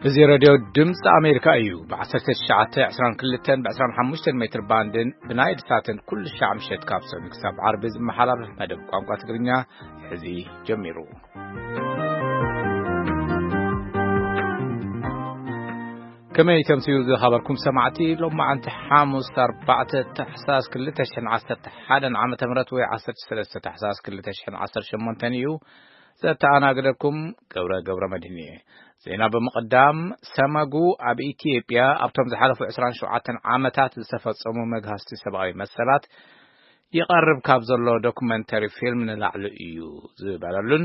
እዚ ሬድዮ ድምፂ ኣሜሪካ እዩ። ብ1922 ብ25 ሜትር ባንድን ብናይል ሳትን ኩሉ ሻዕ ምሸት ካብ ሰኑይ ክሳብ ዓርቢ ዝመሓላለፍ መደብ ቋንቋ ትግርኛ ሕዚ ጀሚሩ። ከመይ ተምስዩ ዝኸበርኩም ሰማዕቲ? ሎማዓንቲ ሓሙስ ኣርባዕተ ታሕሳስ ክልተ ሽሕን ዓሰርተ ሓደን ዓመተ ምህረት ወይ ዓሰርተ ሰለስተ ታሕሳስ ክልተ ሽሕን ዓሰርተ ሸሞንተን እዩ። ዘተኣናግደኩም ገብረ ገብረ መድህን እየ። ዜና ብምቕዳም፣ ሰመጉ ኣብ ኢትዮጵያ ኣብቶም ዝሓለፉ ዕስራን ሸውዓተን ዓመታት ዝተፈጸሙ መግሃስቲ ሰብኣዊ መሰላት ይቐርብ ካብ ዘሎ ዶኩመንተሪ ፊልም ንላዕሊ እዩ ዝበለሉን፣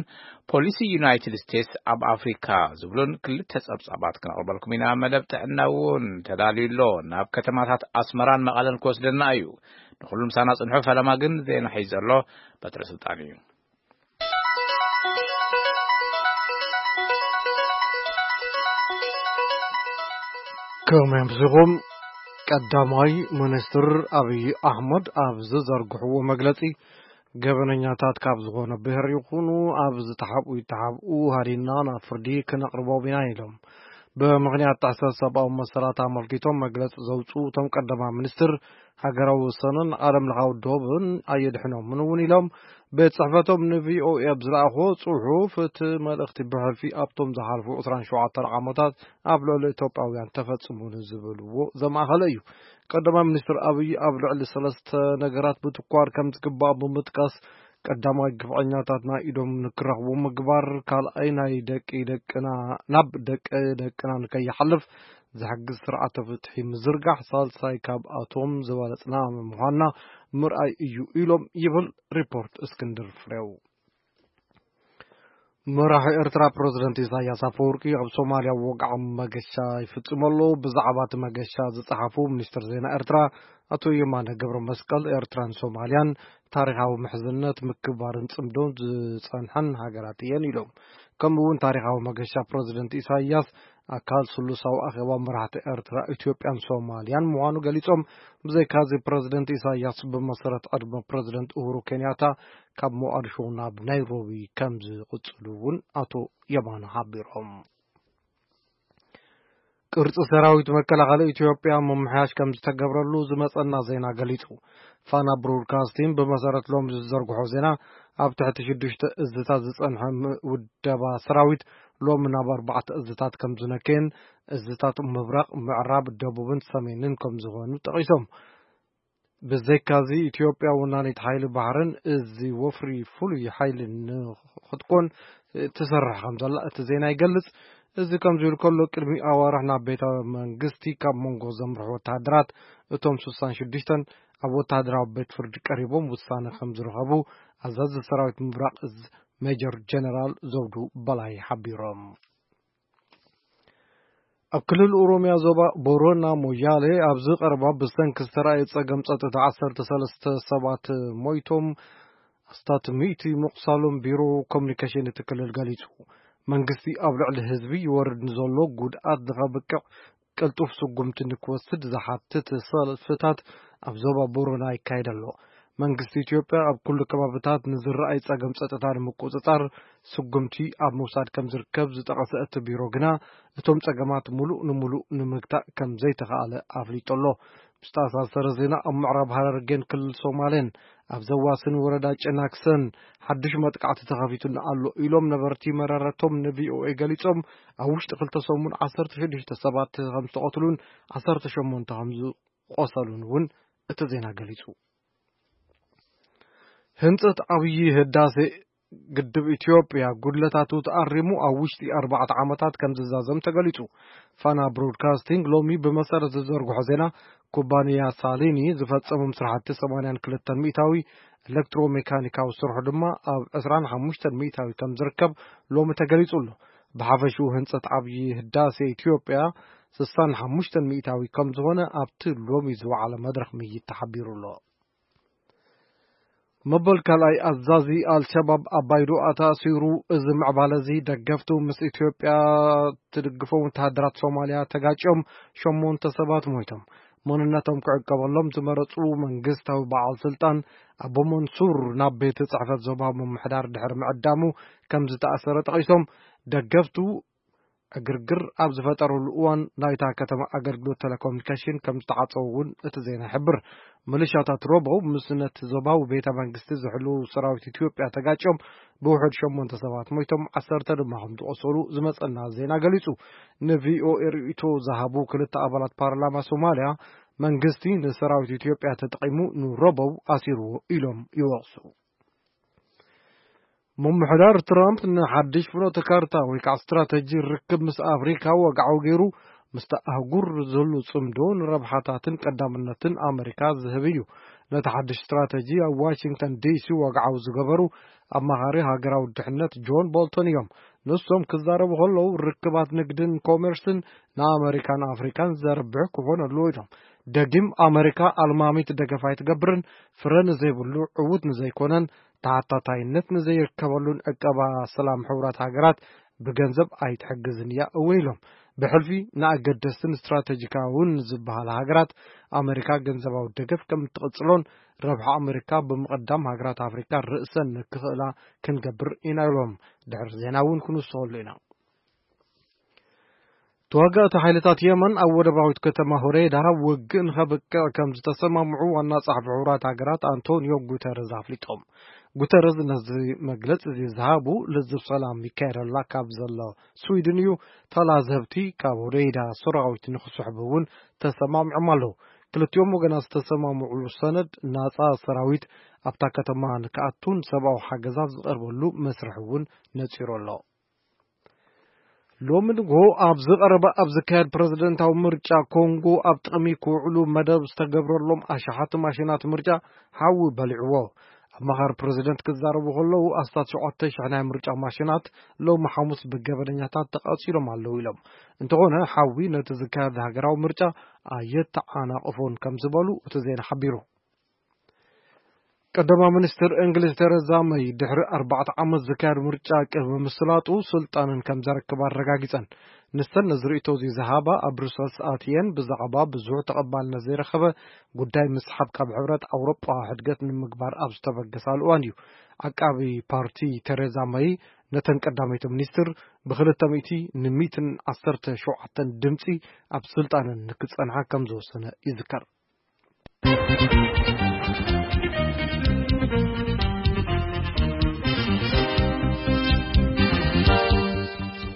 ፖሊሲ ዩናይትድ ስቴትስ ኣብ ኣፍሪካ ዝብሉን ክልተ ጸብጻባት ክነቕርበልኩም ኢና። መደብ ጥዕና እውን ተዳልዩ ኣሎ። ናብ ከተማታት ኣስመራን መቐለን ክወስደና እዩ። ንኹሉ ምሳና ጽንሑ። ፈለማ ግን ዜና ሒዙ ዘሎ በትረ ስልጣን እዩ። ከመይ ኣምሲኹም? ቀዳማይ ሚኒስትር ኣብይ ኣሕመድ ኣብ ዝዘርግሕዎ መግለጺ፣ ገበነኛታት ካብ ዝኾነ ብሔር ይኹኑ ኣብ ዝተሓብኡ ይተሓብኡ ሃዲና ናብ ፍርዲ ክነቕርቦም ኢና ኢሎም። ብምኽንያት ጥሕሰት ሰብኣዊ መሰላት ኣመልኪቶም መግለጺ ዘውፅኡ እቶም ቀዳማይ ሚኒስትር፣ ሃገራዊ ወሰንን ዓለም ለኻዊ ዶብን ኣየድሕኖምን እውን ኢሎም። ቤት ጽሕፈቶም ንቪኦኤ ኣብ ዝለኣኽዎ ጽሑፍ፣ እቲ መልእኽቲ ብሕልፊ ኣብቶም ዝሓልፉ ዕስራን ሸውዓተን ዓመታት ኣብ ልዕሊ ኢትዮጵያውያን ተፈጽሙ ንዝብልዎ ዘማእኸለ እዩ። ቀዳማይ ሚኒስትር ኣብይ ኣብ ልዕሊ ሰለስተ ነገራት ብትኳር ከም ዝግባእ ብምጥቃስ፣ ቀዳማይ ግፍዐኛታት ናይ ኢዶም ንክረኽቡ ምግባር፣ ካልኣይ ናይ ደቂ ደቅና ናብ ደቂ ደቅና ንከይሓልፍ ዝሕግዝ ስርዓተ ፍትሒ ምዝርጋሕ፣ ሳልሳይ ካብኣቶም ዝበለጽና ምዃንና ምርኣይ እዩ ኢሎም ይብል ሪፖርት እስክንድር ፍሬው። መራሒ ኤርትራ ፕረዚደንት ኢሳያስ ኣፈወርቂ ኣብ ሶማልያ ወግዓዊ መገሻ ይፍጽም ኣሎ። ብዛዕባ እቲ መገሻ ዝጸሓፉ ሚኒስትር ዜና ኤርትራ ኣቶ የማነ ገብረ መስቀል፣ ኤርትራን ሶማልያን ታሪኻዊ ምሕዝነት፣ ምክብባርን ጽምዶን ዝጸንሐን ሃገራት እየን ኢሎም። ከምኡ እውን ታሪኻዊ መገሻ ፕረዚደንት ኢሳያስ ኣካል ስሉሳዊ ኣኼባ መራሕቲ ኤርትራ፣ ኢትዮጵያን ሶማልያን ምዃኑ ገሊጾም። ብዘይካዚ ፕረዚደንት ኢሳያስ ብመሰረት ዕድመ ፕረዚደንት ኡሁሩ ኬንያታ ካብ ሞቓዲሾ ናብ ናይሮቢ ከም ዝቕጽሉ እውን ኣቶ የማነ ሓቢሮም። ቅርጺ ሰራዊት መከላኸሊ ኢትዮጵያ ምምሕያሽ ከም ዝተገብረሉ ዝመጸና ዜና ገሊጹ። ፋና ብሮድካስቲንግ ብመሰረት ሎሚ ዝዘርግሖ ዜና፣ ኣብ ትሕቲ ሽዱሽተ እዝታት ዝጸንሐ ም-፣ ውደባ ሰራዊት ሎሚ ናብ ኣርባዕተ እዝታት ከም ዝነከየን፣ እዝታት ምብራቕ፣ ምዕራብ፣ ደቡብን ሰሜንን ከም ዝኾኑ ጠቒሶም። ብዘይካዚ፣ ኢትዮጵያ ወናኒት ሓይሊ ባሕርን እዚ ወፍሪ ፍሉይ ሓይሊ ንኽትኮን ትሰርሕ ከም ዘላ እቲ ዜና ይገልጽ። እዚ ከምዚ ኢሉ ከሎ፣ ቅድሚ ኣዋርሕ ናብ ቤተ መንግስቲ ካብ መንጎ ዘምርሑ ወተሃደራት፣ እቶም ስሳን ሽዱሽተን ኣብ ወተሃደራዊ ቤት ፍርዲ ቀሪቦም ውሳነ ከም ዝረኸቡ ኣዛዚ ሰራዊት ምብራቕ እዝ ሜጀር ጀነራል ዘውዱ በላይ ሓቢሮም። ኣብ ክልል ኦሮምያ ዞባ ቦረና ሞያሌ ኣብዚ ቀረባ ብሰንኪ ዝተራእየ ጸገም ጸጥታ ዓሰርተ ሰለስተ ሰባት ሞይቶም፣ ኣስታት ሚእቲ ምቑሳሎም ቢሮ ኮሙኒኬሽን እቲ ክልል ገሊጹ። መንግስቲ ኣብ ልዕሊ ህዝቢ ይወርድ ንዘሎ ጉድኣት ንኸብቅዕ ቅልጡፍ ስጉምቲ ንክወስድ ዝሓትት ሰልፍታት ኣብ ዞባ ቦረና ይካየድ ኣሎ። መንግስቲ ኢትዮጵያ ኣብ ኩሉ ከባብታት ንዝረኣይ ጸገም ጸጥታ ንምቁጽጻር ስጉምቲ ኣብ ምውሳድ ከም ዝርከብ ዝጠቐሰ እቲ ቢሮ ግና፣ እቶም ጸገማት ሙሉእ ንሙሉእ ንምግታእ ከም ዘይተኻእለ ኣፍሊጡ ኣሎ። ብዝተኣሳሰረ ዜና፣ ኣብ ምዕራብ ሃረርጌን ክልል ሶማሌን ኣብ ዘዋስን ወረዳ ጨናክሰን ሓድሽ መጥቃዕቲ ተኸፊቱ ኣሎ ኢሎም ነበርቲ መረረቶም ንቪኦኤ ገሊጾም። ኣብ ውሽጢ ክልተ ሰሙን ዓሰርተ ሽዱሽተ ሰባት ከም ዝተቐትሉን ዓሰርተ ሸሞንተ ከም ዝቆሰሉን እውን እቲ ዜና ገሊጹ። ህንጸት ዓብዪ ህዳሴ ግድብ ኢትዮጵያ ጉድለታቱ ተኣሪሙ ኣብ ውሽጢ ኣርባዕተ ዓመታት ከም ዝዛዘም ተገሊጹ። ፋና ብሮድካስቲንግ ሎሚ ብመሰረት ዝዘርግሖ ዜና፣ ኩባንያ ሳሊኒ ዝፈጸሞም ስራሕቲ ሰማንያን ክልተን ሚእታዊ፣ ኤሌክትሮሜካኒካዊ ስርሑ ድማ ኣብ ዕስራን ሓሙሽተን ሚእታዊ ከም ዝርከብ ሎሚ ተገሊጹ ኣሎ። ብሓፈሽኡ ህንጸት ዓብዪ ህዳሴ ኢትዮጵያ ስሳን ሓሙሽተን ሚእታዊ ከም ዝኾነ ኣብቲ ሎሚ ዝወዓለ መድረኽ ምይይጥ ተሓቢሩ ኣሎ። መበል ካልኣይ ኣዛዚ ኣልሸባብ ኣባይ ዱኣ ተኣሲሩ። እዚ ምዕባለ እዚ ደገፍቱ ምስ ኢትዮጵያ ትድግፎም ወተሃደራት ሶማልያ ተጋጭዮም ሸሞንተ ሰባት ሞይቶም። መንነቶም ክዕቀበሎም ዝመረጹ መንግስታዊ በዓል ስልጣን ኣቦ መንሱር ናብ ቤት ጽሕፈት ዞባ ምምሕዳር ድሕሪ ምዕዳሙ ከም ዝተኣሰረ ጠቒሶም፣ ደገፍቱ ዕግርግር ኣብ ዝፈጠረሉ እዋን ናይታ ከተማ ኣገልግሎት ቴሌኮሙኒኬሽን ከም ዝተዓጸወ እውን እቲ ዜና ይሕብር። ሚሊሻታት ሮቦው ምስ ነቲ ዞባዊ ቤተ መንግስቲ ዝሕልዉ ሰራዊት ኢትዮጵያ ተጋጭዮም ብውሑድ ሸሞንተ ሰባት ሞይቶም፣ ዓሰርተ ድማ ከም ዝቖሰሉ ዝመጸና ዜና ገሊጹ። ንቪኦኤ ርእይቶ ዝሃቡ ክልተ ኣባላት ፓርላማ ሶማልያ፣ መንግስቲ ንሰራዊት ኢትዮጵያ ተጠቒሙ ንሮቦው ኣሲርዎ ኢሎም ይወቕሱ። ምምሕዳር ትራምፕ ንሓድሽ ፍኖተ ካርታ ወይ ከዓ ስትራተጂ ርክብ ምስ ኣፍሪካ ወግዓዊ ገይሩ፣ ምስቲ ኣህጉር ዘሎ ጽምዶ ንረብሓታትን ቀዳምነትን ኣመሪካ ዝህብ እዩ። ነቲ ሓድሽ ስትራተጂ ኣብ ዋሽንግተን ዲሲ ወግዓዊ ዝገበሩ ኣማኻሪ ሃገራዊ ድሕነት ጆን ቦልቶን እዮም። ንሶም ክዛረቡ ከለዉ፣ ርክባት ንግድን ኮሜርስን ንኣመሪካን ኣፍሪካን ዘርብሕ ክኾን ኣለዎ ኢሎም። ደጊም ኣመሪካ ኣልማሚት ደገፍ ኣይትገብርን፣ ፍረ ንዘይብሉ ዕዉት ንዘይኮነን፣ ተሓታታይነት ንዘይርከበሉን ዕቀባ ሰላም ሕቡራት ሃገራት ብገንዘብ ኣይትሕግዝን እያ እውን ኢሎም። ብሕልፊ ንኣገደስትን ስትራቴጂካውን ዝበሃላ ሃገራት ኣመሪካ ገንዘባዊ ደገፍ ከም እትቕጽሎን፣ ረብሓ ኣመሪካ ብምቕዳም ሃገራት ኣፍሪካ ርእሰን ንክኽእላ ክንገብር ኢና ኢሎም። ድሕሪ ዜና እውን ክንውስኸሉ ኢና። ተዋጋእቲ ሓይልታት የመን ኣብ ወደባዊት ከተማ ሆዴይዳ ውግእ ንኸብቅዕ ከም ዝተሰማምዑ ዋና ጸሓፊ ሕቡራት ሃገራት ኣንቶኒዮ ጉተረዝ ኣፍሊጦም። ጉተረዝ ነዚ መግለጺ እዚ ዝሃቡ፣ ልዝብ ሰላም ይካየደላ ካብ ዘሎ ስዊድን እዩ። ተላዘብቲ ካብ ሆዴይዳ ሰራዊት ንኽስሕቡ እውን ተሰማሚዖም ኣለዉ። ክልቲኦም ወገናት ዝተሰማምዑሉ ሰነድ፣ ናጻ ሰራዊት ኣብታ ከተማ ንክኣቱን ሰብኣዊ ሓገዛት ዝቐርበሉ መስርሕ እውን ነጺሩ ኣሎ። ሎሚ ንግሆ ኣብ ዝቐረበ ኣብ ዝካየድ ፕረዚደንታዊ ምርጫ ኮንጎ ኣብ ጥቕሚ ክውዕሉ መደብ ዝተገብረሎም ኣሽሓት ማሽናት ምርጫ ሓዊ በሊዕዎ። ኣማኻሪ ፕረዚደንት ክዛረቡ ከለዉ፣ ኣስታት ሸውዓተ ሽሕ ናይ ምርጫ ማሽናት ሎሚ ሓሙስ ብገበነኛታት ተቓጺሎም ኣለዉ ኢሎም። እንተኾነ፣ ሓዊ ነቲ ዝካየድ ሃገራዊ ምርጫ ኣየተዓናቕፎን ከም ዝበሉ እቲ ዜና ሓቢሩ። ቀዳማይ ሚኒስትር እንግሊዝ ተረዛ መይ ድሕሪ ኣርባዕተ ዓመት ዝካየድ ምርጫ ቅድሚ ምስላጡ ስልጣነን ከም ዘረክባ ኣረጋጊጸን። ንሰን ነዚ ርእይቶ እዚ ዝሃባ ኣብ ብሩሰልስ ኣትየን ብዛዕባ ብዙሕ ተቐባልነት ዘይረኸበ ጉዳይ ምስሓብ ካብ ሕብረት ኣውሮጳ ሕድገት ንምግባር ኣብ ዝተበገሳሉ እዋን እዩ። ዓቃቢ ፓርቲ ተረዛ መይ ነተን ቀዳመይቲ ሚኒስትር ብክልተ ሚእቲ ንሚእትን ዓሰርተ ሸውዓተን ድምጺ ኣብ ስልጣነን ንክጸንሓ ከም ዝወሰነ ይዝከር።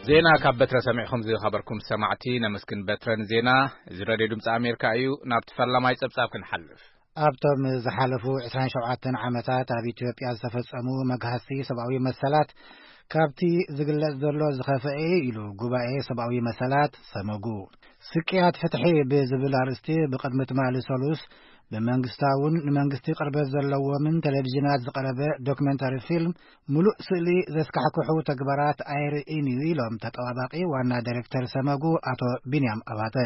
ዜና ካብ በትረ ሰሚዕኹም ዝኸበርኩም ሰማዕቲ ነመስግን። በትረን ዜና እዚ ሬድዮ ድምፂ ኣሜሪካ እዩ። ናብቲ ፈላማይ ፀብፃብ ክንሓልፍ። ኣብቶም ዝሓለፉ ዕስራን ሸውዓተን ዓመታት ኣብ ኢትዮጵያ ዝተፈጸሙ መግሃስቲ ሰብኣዊ መሰላት ካብቲ ዝግለጽ ዘሎ ዝኸፍአ ኢሉ ጉባኤ ሰብኣዊ መሰላት ሰመጉ። ስቅያት ፍትሒ ብዝብል ኣርእስቲ ብቕድሚ ትማሊ ሰሉስ ብመንግስታውን ንመንግስቲ ቅርበት ዘለዎምን ቴሌቪዥናት ዝቐረበ ዶክመንታሪ ፊልም፣ ምሉእ ስእሊ ዘስካሕክሑ ተግባራት ኣየርእይን እዩ ኢሎም ተጠባባቂ ዋና ዳይሬክተር ሰመጉ ኣቶ ቢንያም ኣባተ።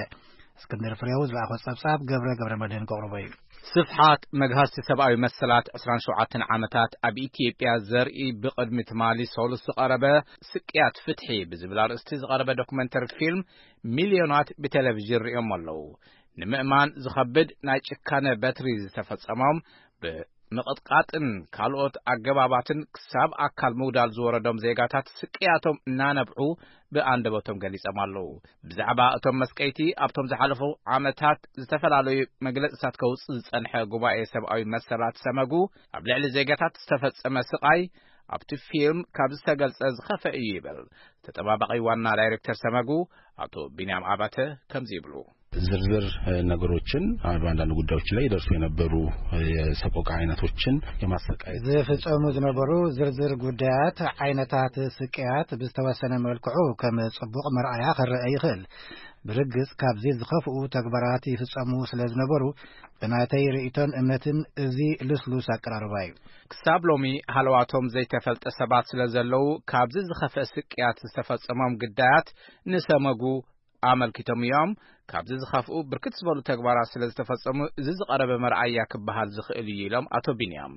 እስክንድር ፍሬው ዝለኣኾ ጸብጻብ ገብረ ገብረ መድህን ከቕርቦ እዩ። ስፍሓት መግሃስቲ ሰብኣዊ መሰላት ዕስራን ሸውዓተን ዓመታት ኣብ ኢትዮጵያ ዘርኢ ብቕድሚ ትማሊ ሰሉስ ዝቐረበ ስቅያት ፍትሒ ብዝብል ኣርእስቲ ዝቐረበ ዶክመንተሪ ፊልም፣ ሚልዮናት ብቴሌቪዥን ርእዮም ኣለዉ። ንምእማን ዝኸብድ ናይ ጭካነ በትሪ ዝተፈጸሞም፣ ብምቕጥቃጥን ካልኦት ኣገባባትን ክሳብ ኣካል ምጉዳል ዝወረዶም ዜጋታት ስቅያቶም እናነብዑ ብኣንደበቶም ገሊጾም ኣለዉ። ብዛዕባ እቶም መስቀይቲ ኣብቶም ዝሓለፉ ዓመታት ዝተፈላለዩ መግለጽታት ከውጽእ ዝጸንሐ ጉባኤ ሰብኣዊ መሰላት ሰመጉ፣ ኣብ ልዕሊ ዜጋታት ዝተፈጸመ ስቓይ ኣብቲ ፊልም ካብ ዝተገልጸ ዝኸፈ እዩ ይብል ተጠባባቒ ዋና ዳይሬክተር ሰመጉ ኣቶ ቢንያም ኣባተ ከምዚ ይብሉ። ዝርዝር ነገሮችን በአንዳንድ ጉዳዮች ላይ ይደርሱ የነበሩ የሰቆቃ አይነቶችን የማሰቃየት ዝፍጸሙ ዝነበሩ ዝርዝር ጉዳያት፣ ዓይነታት ስቅያት ብዝተወሰነ መልክዑ ከም ጽቡቕ መርኣያ ክረአ ይኽእል። ብርግጽ ካብዚ ዝኸፍኡ ተግባራት ይፍጸሙ ስለ ዝነበሩ፣ ብናተይ ርእይቶን እምነትን እዚ ልስሉስ ኣቀራርባ እዩ። ክሳብ ሎሚ ሃለዋቶም ዘይተፈልጠ ሰባት ስለ ዘለዉ፣ ካብዚ ዝኸፍአ ስቅያት ዝተፈጸሞም ግዳያት ንሰመጉ ኣመልኪቶም እዮም። ካብዚ ዝኸፍኡ ብርክት ዝበሉ ተግባራት ስለ ዝተፈጸሙ፣ እዚ ዝቐረበ መርኣያ ክበሃል ዝኽእል እዩ ኢሎም ኣቶ ቢንያም።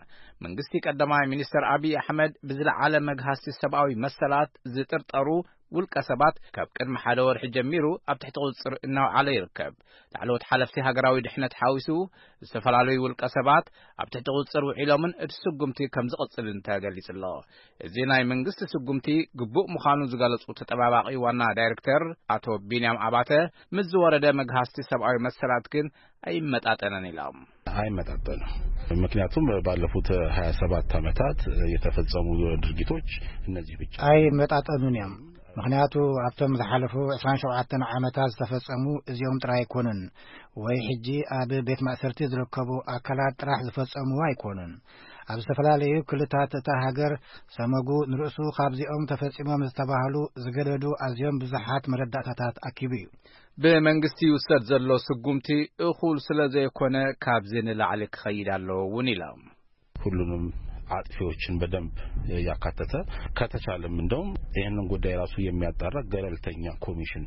መንግስቲ ቀዳማይ ሚኒስተር ኣብይ ኣሕመድ ብዝለዓለ መግሃስቲ ሰብኣዊ መሰላት ዝጥርጠሩ ውልቀ ሰባት ካብ ቅድሚ ሓደ ወርሒ ጀሚሩ ኣብ ትሕቲ ቁጽጽር እናውዓለ ይርከብ። ላዕለዎት ሓለፍቲ ሃገራዊ ድሕነት ሓዊሱ ዝተፈላለዩ ውልቀ ሰባት ኣብ ትሕቲ ቁጽጽር ውዒሎምን እቲ ስጉምቲ ከም ዝቕጽልን ተገሊጹ ኣሎ። እዚ ናይ መንግስቲ ስጉምቲ ግቡእ ምዃኑ ዝገለጹ ተጠባባቒ ዋና ዳይሬክተር ኣቶ ቢንያም ኣባተ፣ ምስ ዝወረደ መግሃስቲ ሰብኣዊ መሰላት ግን ኣይመጣጠነን ኢሎም። አይመጣጠንም። ምክንያቱም ባለፉት ሃያ ሰባት ዓመታት የተፈጸሙ ድርጊቶች እነዚህ ብቻ። ኣይመጣጠኑን እዮም። ምክንያቱ ኣብቶም ዝሓለፉ ዕስራን ሸውዓተን ዓመታት ዝተፈጸሙ እዚኦም ጥራይ ኣይኮኑን፣ ወይ ሕጂ ኣብ ቤት ማእሰርቲ ዝርከቡ ኣካላት ጥራሕ ዝፈጸሙ ኣይኮኑን። ኣብ ዝተፈላለዩ ክልታት እታ ሃገር ሰመጉ ንርእሱ ካብዚኦም ተፈጺሞም ዝተባህሉ ዝገደዱ ኣዝዮም ብዙሓት መረዳእታታት ኣኪቡ እዩ። ብመንግስቲ ይውሰድ ዘሎ ስጉምቲ እኹል ስለ ዘይኮነ ካብዚ ንላዕሊ ክኸይድ ኣለዎ እውን ኢሎም። ሁሉንም አጥፊዎችን በደንብ ያካተተ፣ ከተቻለም እንደውም ይህንን ጉዳይ ራሱ የሚያጣራ ገለልተኛ ኮሚሽን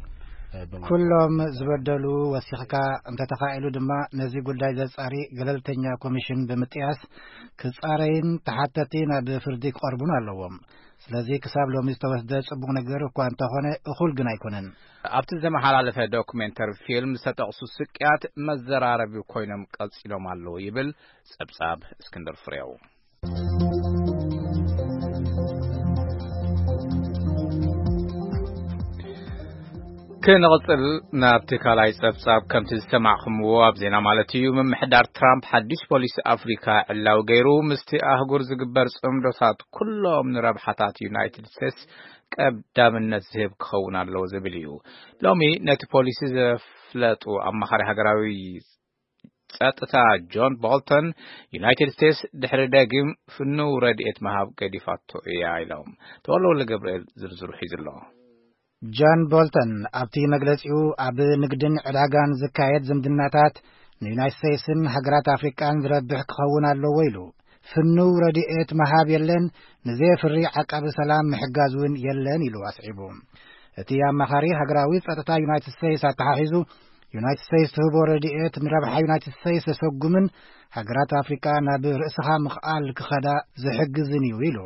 በመ- ኩሎም ዝበደሉ ወሲኽካ፣ እንተተኻኢሉ ድማ ነዚ ጉዳይ ዘጻሪ ገለልተኛ ኮሚሽን ብምጥያስ ክጻረይን ተሓተቲ ናብ ፍርዲ ክቐርቡን ኣለዎም። ስለዚ ክሳብ ሎሚ ዝተወስደ ጽቡቕ ነገር እኳ እንተኾነ እኹል ግን ኣይኮነን። ኣብቲ ዝተመሓላለፈ ዶኩሜንተሪ ፊልም ዝተጠቕሱ ስቅያት መዘራረቢ ኮይኖም ቀጺሎም ኣለዉ ይብል ጸብጻብ እስክንድር ፍሬው። ክንቕጽል ናብቲ ካልኣይ ጸብጻብ። ከምቲ ዝሰማዕኹምዎ ኣብ ዜና ማለት እዩ፣ ምምሕዳር ትራምፕ ሓድሽ ፖሊሲ ኣፍሪካ ዕላዊ ገይሩ ምስቲ ኣህጉር ዝግበር ጽምዶታት ኩሎም ንረብሓታት ዩናይትድ ስቴትስ ቀዳምነት ዝህብ ክኸውን ኣለዎ ዝብል እዩ። ሎሚ ነቲ ፖሊሲ ዘፍለጡ ኣማኻሪ ሃገራዊ ጸጥታ ጆን ቦልተን፣ ዩናይትድ ስቴትስ ድሕሪ ደጊም ፍኑው ረድኤት ምሃብ ገዲፋቶ እያ ኢሎም። ተወልደ ገብርኤል ዝርዝሩ ሒዙ ኣሎ። ጆን ቦልተን ኣብቲ መግለጺኡ፣ ኣብ ንግድን ዕዳጋን ዝካየድ ዝምድናታት ንዩናይትድ ስቴትስን ሃገራት ኣፍሪቃን ዝረብሕ ክኸውን ኣለዎ ኢሉ። ፍኑው ረድኤት ምሃብ የለን፣ ንዘየፍሪ ዓቃቢ ሰላም ምሕጋዝ እውን የለን ኢሉ ኣስዒቡ። እቲ ኣማኻሪ ሃገራዊ ጸጥታ ዩናይትድ ስቴትስ ኣተሓሒዙ፣ ዩናይትድ ስቴትስ ትህቦ ረድኤት ንረብሓ ዩናይትድ ስቴትስ ዘሰጉምን ሃገራት ኣፍሪቃ ናብ ርእስኻ ምኽኣል ክኸዳ ዝሕግዝን እዩ ኢሉ።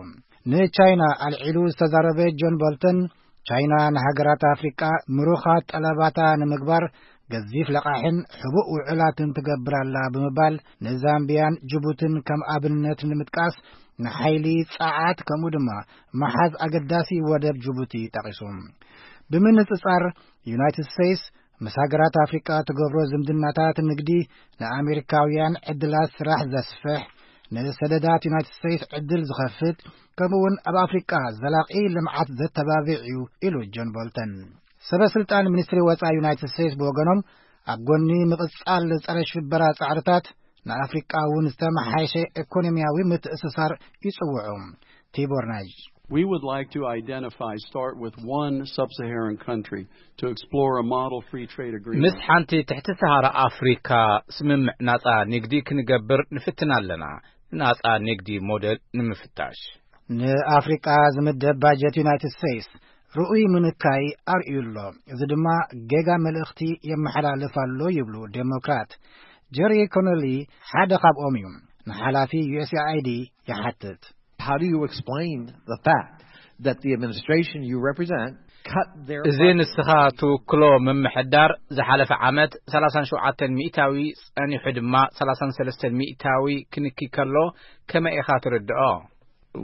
ንቻይና ኣልዒሉ ዝተዛረበ ጆን ቦልተን፣ ቻይና ንሃገራት ኣፍሪቃ ምሩኻት ጠለባታ ንምግባር ገዚፍ ለቓሕን ሕቡእ ውዕላትን ትገብር ኣላ ብምባል፣ ንዛምቢያን ጅቡትን ከም ኣብነት ንምጥቃስ፣ ንሓይሊ፣ ጸዓት፣ ከምኡ ድማ ምሓዝ ኣገዳሲ ወደብ ጅቡቲ ጠቒሱ። ብምንጽጻር፣ ዩናይትድ ስቴትስ ምስ ሃገራት ኣፍሪቃ ትገብሮ ዝምድናታት ንግዲ ንኣሜሪካውያን ዕድላት ስራሕ ዘስፍሕ፣ ንሰደዳት ዩናይትድ ስቴትስ ዕድል ዝኸፍት፣ ከምኡውን ኣብ ኣፍሪቃ ዘላቒ ልምዓት ዘተባብዕ እዩ ኢሉ ጆን ቦልተን። ሰበ ስልጣን ሚኒስትሪ ወጻኢ ዩናይትድ ስቴትስ ብወገኖም፣ ኣብ ጎኒ ምቕጻል ጸረ ሽበራ ጻዕርታት፣ ንኣፍሪቃ እውን ዝተመሓየሸ ኢኮኖሚያዊ ምትእስሳር ይጽውዑ። ቲቦር ናጅ We would like to identify, start with one sub-Saharan country to explore a model free trade agreement. ምስ ሓንቲ ትሕቲ ሰሃራ ኣፍሪካ ስምምዕ ናጻ ንግዲ ክንገብር ንፍትን ኣለና፣ ናጻ ንግዲ ሞዴል ንምፍታሽ። ንኣፍሪቃ ዝምደብ ባጀት ዩናይትድ ስቴትስ ርኡይ ምንካይ ኣርእዩ ኣሎ። እዚ ድማ ጌጋ መልእኽቲ የመሓላልፍ ኣሎ ይብሉ ዴሞክራት። ጀሪ ኮነሊ ሓደ ካብኦም እዩ። ንሓላፊ ዩ ኤስ ኤ ኣይ ዲ ይሓትት። How do you explain the fact that the administration you represent cut their እዚ ንስኻ ትውክሎ ምምሕዳር ዝሓለፈ ዓመት ሰላሳን ሸውዓተን ሚእታዊ ጸኒሑ ድማ ሰላሳን ሰለስተን ሚእታዊ ክንኪ ከሎ ከመይ ኢኻ ትርድኦ?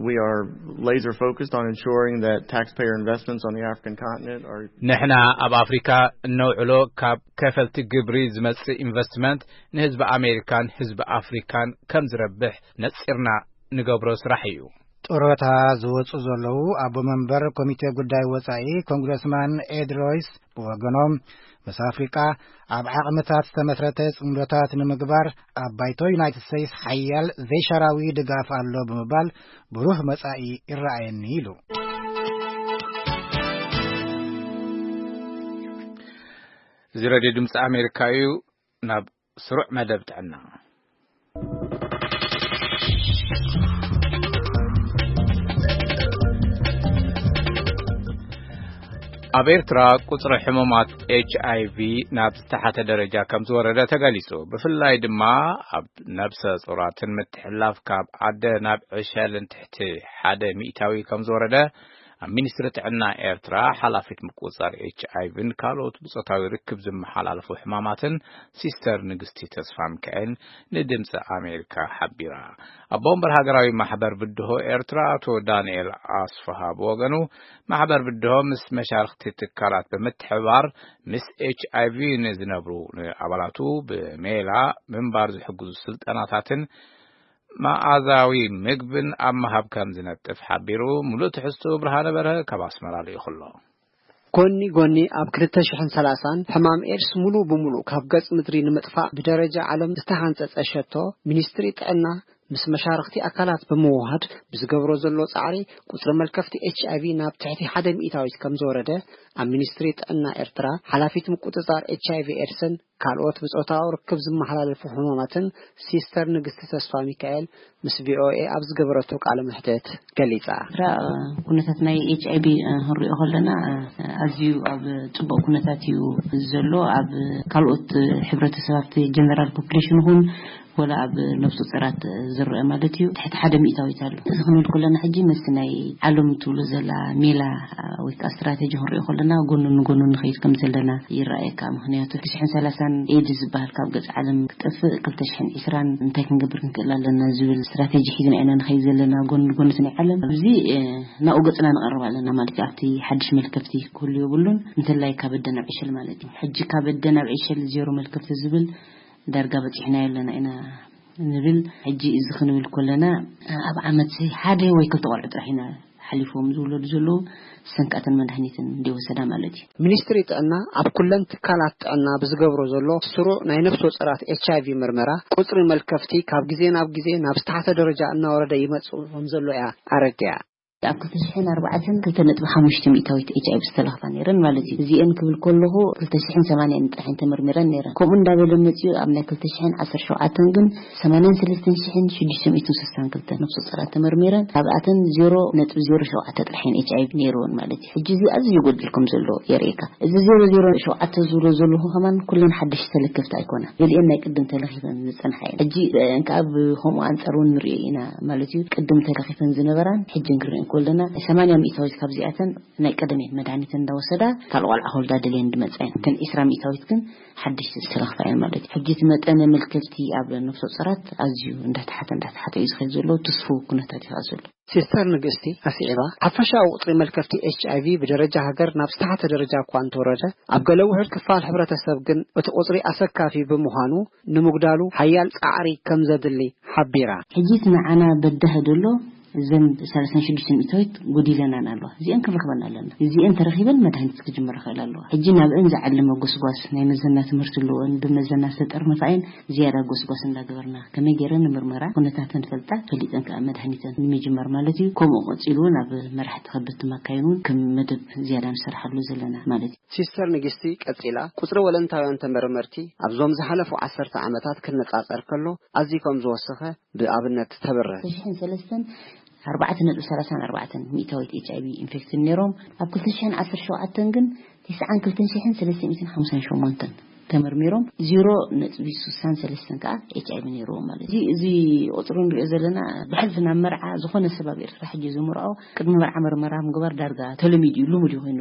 We are laser focused on ensuring that taxpayer investments on the African continent are ንሕና ኣብ ኣፍሪካ እነውዕሎ ካብ ከፈልቲ ግብሪ ዝመጽእ ኢንቨስትመንት ንህዝቢ ኣሜሪካን ህዝቢ ኣፍሪካን ከም ዝረብሕ ነጺርና ንገብሮ ስራሕ እዩ። ጡረታ ዝወጹ ዘለዉ ኣቦ መንበር ኮሚቴ ጉዳይ ወጻኢ ኮንግረስማን ኤድ ሮይስ ብወገኖም፣ ምስ ኣፍሪቃ ኣብ ዓቕምታት ዝተመስረተ ጽምዶታት ንምግባር ኣብ ባይቶ ዩናይትድ ስቴትስ ሓያል ዘይሻራዊ ድጋፍ ኣሎ ብምባል፣ ብሩህ መጻኢ ይረኣየኒ ኢሉ። እዚ ሬድዮ ድምፂ ኣሜሪካ እዩ። ናብ ስሩዕ መደብ ጥዕና። ኣብ ኤርትራ ቁጽሪ ሕሙማት ኤች ኣይ ቪ ናብ ዝተሓተ ደረጃ ከም ዝወረደ ተገሊጹ። ብፍላይ ድማ ኣብ ነብሰ ጾራትን ምትሕልላፍ ካብ ኣደ ናብ ዕሸልን ትሕቲ ሓደ ሚእታዊ ከም ዝወረደ ሚኒስትሪ ጥዕና ኤርትራ ሓላፊት ምቁጽጻር ኤች ኣይ ቪን ካልኦት ብጾታዊ ርክብ ዝመሓላለፉ ሕማማትን ሲስተር ንግስቲ ተስፋ ሚካኤል ንድምፂ ኣሜሪካ ሓቢራ። ኣቦ ወንበር ሃገራዊ ማሕበር ብድሆ ኤርትራ ኣቶ ዳንኤል ኣስፍሃ ብወገኑ፣ ማሕበር ብድሆ ምስ መሻርክቲ ትካላት ብምትሕብባር ምስ ኤች ኣይ ቪ ንዝነብሩ ንኣባላቱ ብሜላ ምንባር ዝሕግዙ ስልጠናታትን መኣዛዊ ምግብን ኣብ ምሃብ ከም ዝነጥፍ ሓቢሩ። ሙሉእ ትሕዝቱ ብርሃነ በርሀ ካብ ኣስመራ ልኢኹ ኣሎ። ጎኒ ጎኒ ኣብ ክልተ ሽሕን ሰላሳን ሕማም ኤድስ ሙሉ ብሙሉ ካብ ገጽ ምድሪ ንምጥፋእ ብደረጃ ዓለም ዝተሃንጸጸ ሸቶ፣ ሚኒስትሪ ጥዕና ምስ መሻርኽቲ ኣካላት ብምውሃድ ብዝገብሮ ዘሎ ጻዕሪ ቁጽሪ መልከፍቲ ኤች ኣይ ቪ ናብ ትሕቲ ሓደ ሚእታዊት ከም ዝወረደ ኣብ ሚኒስትሪ ጥዕና ኤርትራ ሓላፊት ምቁጽጻር ኤች ኣይ ቪ ኤድስን ካልኦት ብጾታዊ ርክብ ዝመሓላለፉ ሕማማትን ሲስተር ንግስቲ ተስፋ ሚካኤል ምስ ቪ ኦ ኤ ኣብ ዝገበረቶ ቃለ መሕትት ገሊጻ። ኤርትራ ኩነታት ናይ ኤች ኣይ ቪ ክንሪኦ ከለና ኣዝዩ ኣብ ጽቡቕ ኩነታት እዩ ዘሎ። ኣብ ካልኦት ሕብረተሰብ ኣብቲ ጀነራል ፖፕሌሽን ይኹን ወላ ኣብ ነፍሰ ጡራት ዝረአ ማለት እዩ ትሕቲ ሓደ ሚእታዊት ኣሎ። እዚ ክንብል ከለና ሕጂ ምስቲ ናይ ዓለም ትብሎ ዘላ ሜላ ወይ ከዓ ስትራቴጂ ክንሪኦ ከለና ጎኑ ንጎኑ ንኸይድ ከም ዘለና ይረኣየካ። ምኽንያቱ ክልተ ሽሕን ሰላሳን ኤድስ ዝበሃል ካብ ገጽ ዓለም ክጠፍእ ክልተ ሽሕን ዕስራን እንታይ ክንገብር ክንክእል ኣለና ዝብል ስትራቴጂ ሒዝና ኢና ንኸይድ ዘለና ጎኑ ንጎኑ እቲ ናይ ዓለም። ኣብዚ ናብኡ ገጽና ንቐርብ ኣለና ማለት እዩ። ኣብቲ ሓድሽ መልከፍቲ ክህሉ የብሉን፣ እንተላይ ካብ ኣደ ናብ ዕሸል ማለት እዩ። ሕጂ ካብ ኣደ ናብ ዕሸል ዜሮ መልከፍቲ ዝብል ዳርጋ በጺሕናዮ ኣለና ኢና ንብል። ሕጂ እዚ ክንብል ከለና ኣብ ዓመት ሓደ ወይ ክልተ ቆልዑ ጥራሕ ኢና ሓሊፎም ዝውለዱ ዘለዉ ሰንካተን መድሃኒትን እንዲወሰዳ ማለት እዩ። ሚኒስትሪ ጥዕና ኣብ ኩለን ትካላት ጥዕና ብዝገብሮ ዘሎ ስሩዕ ናይ ነፍሲ ወጸራት ኤች ኣይ ቪ ምርመራ ቁጽሪ መልከፍቲ ካብ ግዜ ናብ ግዜ ናብ ዝተሓተ ደረጃ እናወረደ ይመጽእ ከም ዘሎ እያ ኣረዲኣ። ኣብ ክልተ ሽሕን ኣርባዕተን ክልተ ነጥቢ ሓሙሽተ ሚእታዊት ኤች ኣይ ቪ ዝተለኽፋ ነይረን ማለት እዩ። እዚኤን ክብል ከለኹ ክልተ ሽሕን ሰማንያን ጥራሕን ተመርሚረን ነይረን። ከምኡ እንዳበለ መፂኡ ኣብ ናይ ክልተ ሽሕን ዓሰርተ ሸውዓተን ግን ሰማንያን ሰለስተን ሽሕን ሽዱሽተ ሚእትን ስሳን ክልተ ነፍሰ ጡራት ተመርሚረን፣ ካብኣተን ዜሮ ነጥቢ ዜሮ ሸውዓተ ጥራሕን ኤች ኣይ ቪ ነይርወን ማለት እዩ። ሕጂ እዚ ኣዝዩ ይጎድል ከም ዘሎ የርእየካ። እዚ ዜሮ ዜሮ ሸውዓተ ዝብሎ ዘለኹ ከማን ኩለን ሓደሽቲ ተለከፍቲ ኣይኮና። ገሊኤን ናይ ቅድም ተለኺፈን ዝጸንሓ እየን። ሕጂ እንከኣ ብኸምኡ ኣንጻር እውን ንሪኦ ኢና ማለት እዩ። ቅድም ተለኺፈን ዝነበራን ሕጂ ክንሪኦ ከለና ሰማንያ ሚእታዊት ካብዚኣተን ናይ ቀደም እየን መድሃኒተን እንዳወሰዳ ካልእ ቆልዓ ክወልዳ ደልየን ዝመጻ እየን። እተን ዕስራ ሚእታዊት ግን ሓደሽቲ ዝተለኽፋ እየን ማለት እዩ። ሕጂ እቲ መጠነ መልከፍቲ ኣብ ነፍሰ ጡራት ኣዝዩ እንዳተሓተ እንዳተሓተ እዩ ዝኸይድ ዘሎ። ትስፉው ኩነታት እዩ ከኣ ዘሎ። ሲስተር ንግስቲ ኣስዒባ፣ ሓፈሻዊ ቁጽሪ መልከፍቲ ኤች ኣይ ቪ ብደረጃ ሃገር ናብ ዝተሓተ ደረጃ እኳ እንተወረደ፣ ኣብ ገለ ውሑድ ክፋል ሕብረተሰብ ግን እቲ ቁጽሪ ኣሰካፊ ብምዃኑ፣ ንምጉዳሉ ሓያል ጻዕሪ ከም ዘድሊ ሓቢራ። ሕጂ እቲ ንዓና በዳሂ ዘሎ እዘን ሰላሳን ሽዱሽተ ሚእታዊት ጎዲለናን ኣለዋ። እዚአን ክንረኽበን ኣለና። እዚአን ተረኺበን መድሃኒት ክጅመር ይኽእል ኣለዋ። ሕጂ ናብአን ዝዓለመ ጎስጓስ ናይ መዘና ትምህርቲ ኣለወን፣ ብመዘና ዝተጠርነፋ እየን። ዝያዳ ጎስጓስ እንዳገበርና፣ ከመይ ገይረን ንምርመራ ኩነታተን ፈልጣ፣ ፈሊጠን ከኣ መድሃኒተን ንምጅማር ማለት እዩ። ከምኡ ቀጺሉ እውን ኣብ መራሕቲ ከበድቲ ማካይን እውን ከም መደብ ዝያዳ ንሰርሓሉ ዘለና ማለት እዩ። ሲስተር ንግስቲ ቀጺላ፣ ቁጽሪ ወለንታውያን ተመርመርቲ ኣብዞም ዝሓለፉ ዓሰርተ ዓመታት ክነጻጸር ከሎ ኣዝዩ ከም ዝወሰኸ ብኣብነት ተብርህ። ክልተ ሽሕን ሰለስተን ኣርባዕተ ነጥቢ ሰላሳን ኣርባዕተን ሚእታዊት ኤች ኣይ ቪ ኢንፌክትድ ነይሮም። ኣብ ክልተ ሽሕን ዓሰርተ ሸውዓተን ግን ትስዓን ክልተን ሽሕን ሰለስተ ሚእትን ሓምሳን ሸሞንተን ተመርሚሮም፣ ዜሮ ነጥቢ ስሳን ሰለስተን ከኣ ኤች ኣይ ቪ ነይርዎም ማለት እዩ። እዚ፣ እዚ ቁጽሪ ንሪኦ ዘለና ብሕልፊ ናብ መርዓ ዝኾነ ሰብ ኣብ ኤርትራ ሕጂ ዝምርዖ ቅድሚ መርዓ መርመራ ምግባር ዳርጋ ተለሚዱ እዩ፣ ልሙድ እዩ ኮይኑ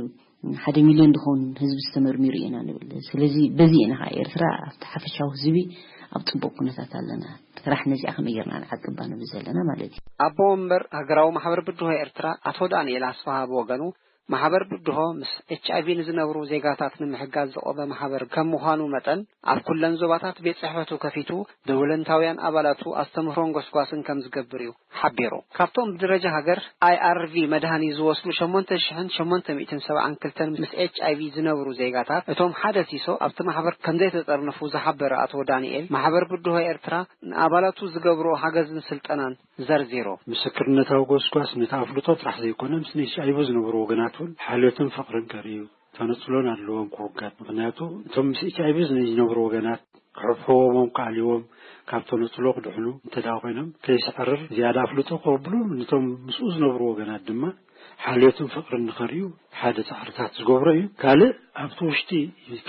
ሓደ ሚልዮን ዝኸውን ህዝቢ ዝተመርሚሩ ኢና ንብል። ስለዚ በዚ ኢና ከዓ ኤርትራ ኣብቲ ሓፈሻዊ ህዝቢ ኣብ ጽቡቕ ኩነታት ኣለና። ስራሕ ነዚኣ ከመይ ጌርና ንዓቅባ ንብል ዘለና ማለት እዩ። ኣቦ ወንበር ሃገራዊ ማሕበር ብድሆ ኤርትራ ኣቶ ዳንኤል ኣስፍሃ ብወገኑ፣ ማሕበር ብድሆ ምስ ኤች ኣይ ቪ ንዝነብሩ ዜጋታት ንምሕጋዝ ዝቆመ ማሕበር ከም ምዃኑ መጠን፣ ኣብ ኩለን ዞባታት ቤት ጽሕፈቱ ከፊቱ ብወለንታውያን ኣባላቱ ኣስተምህሮን ጎስጓስን ከም ዝገብር እዩ ሓቢሩ። ካብቶም ብደረጃ ሃገር ኣይ ኣር ቪ መድሃኒ ዝወስዱ ሸሞንተ ሽሕን ሸሞንተ ሚእትን ሰብዓን ክልተን ምስ ኤች ኣይ ቪ ዝነብሩ ዜጋታት፣ እቶም ሓደ ሲሶ ኣብቲ ማሕበር ከም ዘይተጠርነፉ ዝሓበረ ኣቶ ዳንኤል፣ ማሕበር ብድሆ ኤርትራ ንኣባላቱ ዝገብሮ ሓገዝን ስልጠናን ዘርዚሩ። ምስክርነታዊ ጎስጓስ ነቲ ኣፍልጦ ጥራሕ ዘይኮነ፣ ምስ ኤች ኣይ ቪ ዝነብሩ ወገናት እውን ሓልዮትን ፍቕርን ከርእዩ፣ ተነጽሎን ኣድልዎም ክውገድ። ምኽንያቱ እቶም ምስ ኤች ኣይ ቪ ዝነብሩ ወገናት ክሕብሕቦም፣ ክኣልይዎም፣ ካብ ተነጽሎ ክድሕኑ እንተ ደኣ ኮይኖም፣ ከይስዕርር ዝያዳ ኣፍልጦ ክቕብሉ፣ ነቶም ምስኡ ዝነብሩ ወገናት ድማ ሓልዮትን ፍቕርን ንኸርእዩ ሓደ ጻዕርታት ዝገብሮ እዩ። ካልእ ኣብቲ ውሽጢ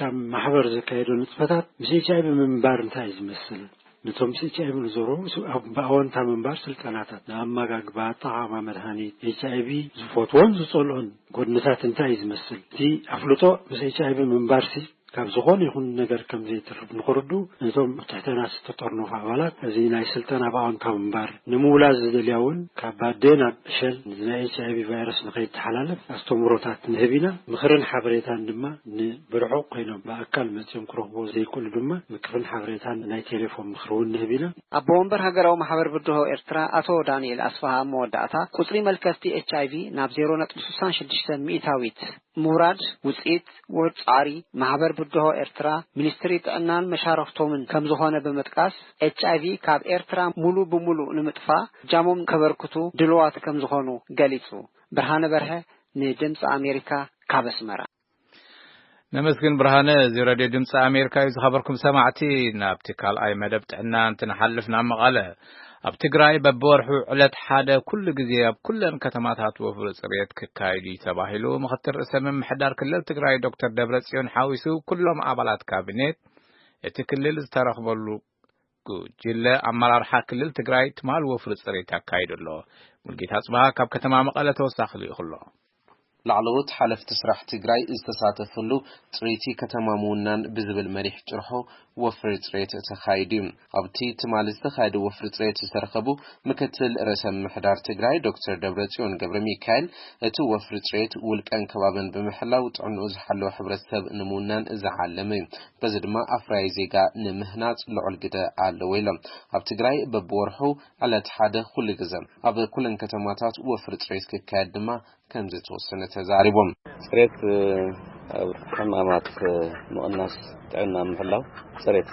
ካብ ማሕበር ዘካየዶ ንጥፈታት ምስ ኤች ኣይ ቪ ምንባር እንታይ እዩ ዝመስል? ነቶም ምስ ኤች ኣይቪ ንዘረቡ ስ-፣ ኣብ-፣ ብኣወንታ ምንባር ስልጠናታት፣ ንኣመጋግባ፣ ኣጠቓቕማ መድሃኒት፣ ኤች ኣይቪ ዝፈትዎን ዝጸልኦን ጎድንታት እንታይ እዩ ዝመስል? እቲ ኣፍልጦ ምስ ኤች ኣይቪ ምንባርሲ ካብ ዝኾነ ይኹን ነገር ከም ዘይትርፍ ንኽርዱ፣ ነቶም ኣብ ትሕተና ዝተጠርነፉ ኣባላት እዚ ናይ ስልጠና ብኣወንታ ምንባር ንምውላዝ ዝደልያ እውን ካብ ባዴ ናብ ዕሸል ናይ ኤች ኣይቪ ቫይረስ ንኸይተሓላለፍ ኣስተምህሮታት ንህብ ኢና። ምኽርን ሓበሬታን ድማ ንብርሑቕ ኮይኖም ብኣካል መጺኦም ክረኽቦ ዘይክእሉ ድማ ምክርን ሓበሬታን ናይ ቴሌፎን ምኽሪ እውን ንህብ ኢና። ኣቦ ወንበር ሃገራዊ ማሕበር ብድሆ ኤርትራ ኣቶ ዳንኤል ኣስፋሃ ኣብ መወዳእታ፣ ቁጽሪ መልከፍቲ ኤች ኣይቪ ናብ ዜሮ ነጥቢ ስሳን ሽዱሽተን ሚእታዊት ምውራድ ውጽኢት ውርድ ጻዕሪ ማሕበር ብድሆ ኤርትራ፣ ሚኒስትሪ ጥዕናን መሻርኽቶምን ከም ዝኾነ ብምጥቃስ፣ ኤች ኣይቪ ካብ ኤርትራ ሙሉ ብሙሉ ንምጥፋእ እጃሞም ከበርክቱ ድልዋት ከም ዝኾኑ ገሊጹ። ብርሃነ በርሀ ንድምፂ ኣሜሪካ ካብ ኣስመራ። ነመስግን ብርሃነ። እዚ ሬድዮ ድምፂ ኣሜሪካ እዩ። ዝኸበርኩም ሰማዕቲ፣ ናብቲ ካልኣይ መደብ ጥዕና እንትንሓልፍ፣ ናብ መቐለ። ኣብ ትግራይ በብወርሑ ዕለት ሓደ ኩሉ ግዜ ኣብ ኩለን ከተማታት ወፍሪ ፅሬት ክካየድ እዩ ተባሂሉ ምኽትል ርእሰ ምምሕዳር ክልል ትግራይ ዶክተር ደብረጽዮን ሓዊሱ ኩሎም ኣባላት ካቢኔት እቲ ክልል ዝተረኽበሉ ጉጅለ ኣመራርሓ ክልል ትግራይ ትማል ወፍሪ ፅሬት ኣካይዱ ኣሎ። ሙልጌታ ጽባሃ ካብ ከተማ መቐለ ተወሳኺ ልኢኹ ኣሎ። ላዕለዎት ሓለፍቲ ስራሕ ትግራይ ዝተሳተፍሉ ፅሬቲ ከተማ ምውናን ብዝብል መሪሕ ጭርሖ ወፍሪ ፅሬት ተኻይዱ እዩ። ኣብቲ ትማሊ ዝተኻየደ ወፍሪ ፅሬት ዝተረኸቡ ምክትል ርእሰ ምምሕዳር ትግራይ ዶክተር ደብረጽዮን ገብረ ሚካኤል፣ እቲ ወፍሪ ፅሬት ውልቀን ከባብን ብምሕላው ጥዕንኡ ዝሓለወ ሕብረተሰብ ንምውናን ዝዓለመ እዩ። በዚ ድማ ኣፍራይ ዜጋ ንምህናፅ ልዑል ግደ ኣለዎ ኢሎም። ኣብ ትግራይ በብወርሑ ዕለት ሓደ ኩሉ ግዘ ኣብ ኩለን ከተማታት ወፍሪ ፅሬት ክካየድ ድማ ከም ዝተወሰነ ተዛሪቦም። ፅሬት፣ እ፣ ኣብ ሕማማት፣ እ፣ ምቕናስ፣ ጥዕና ምሕላው፣ ፅሬት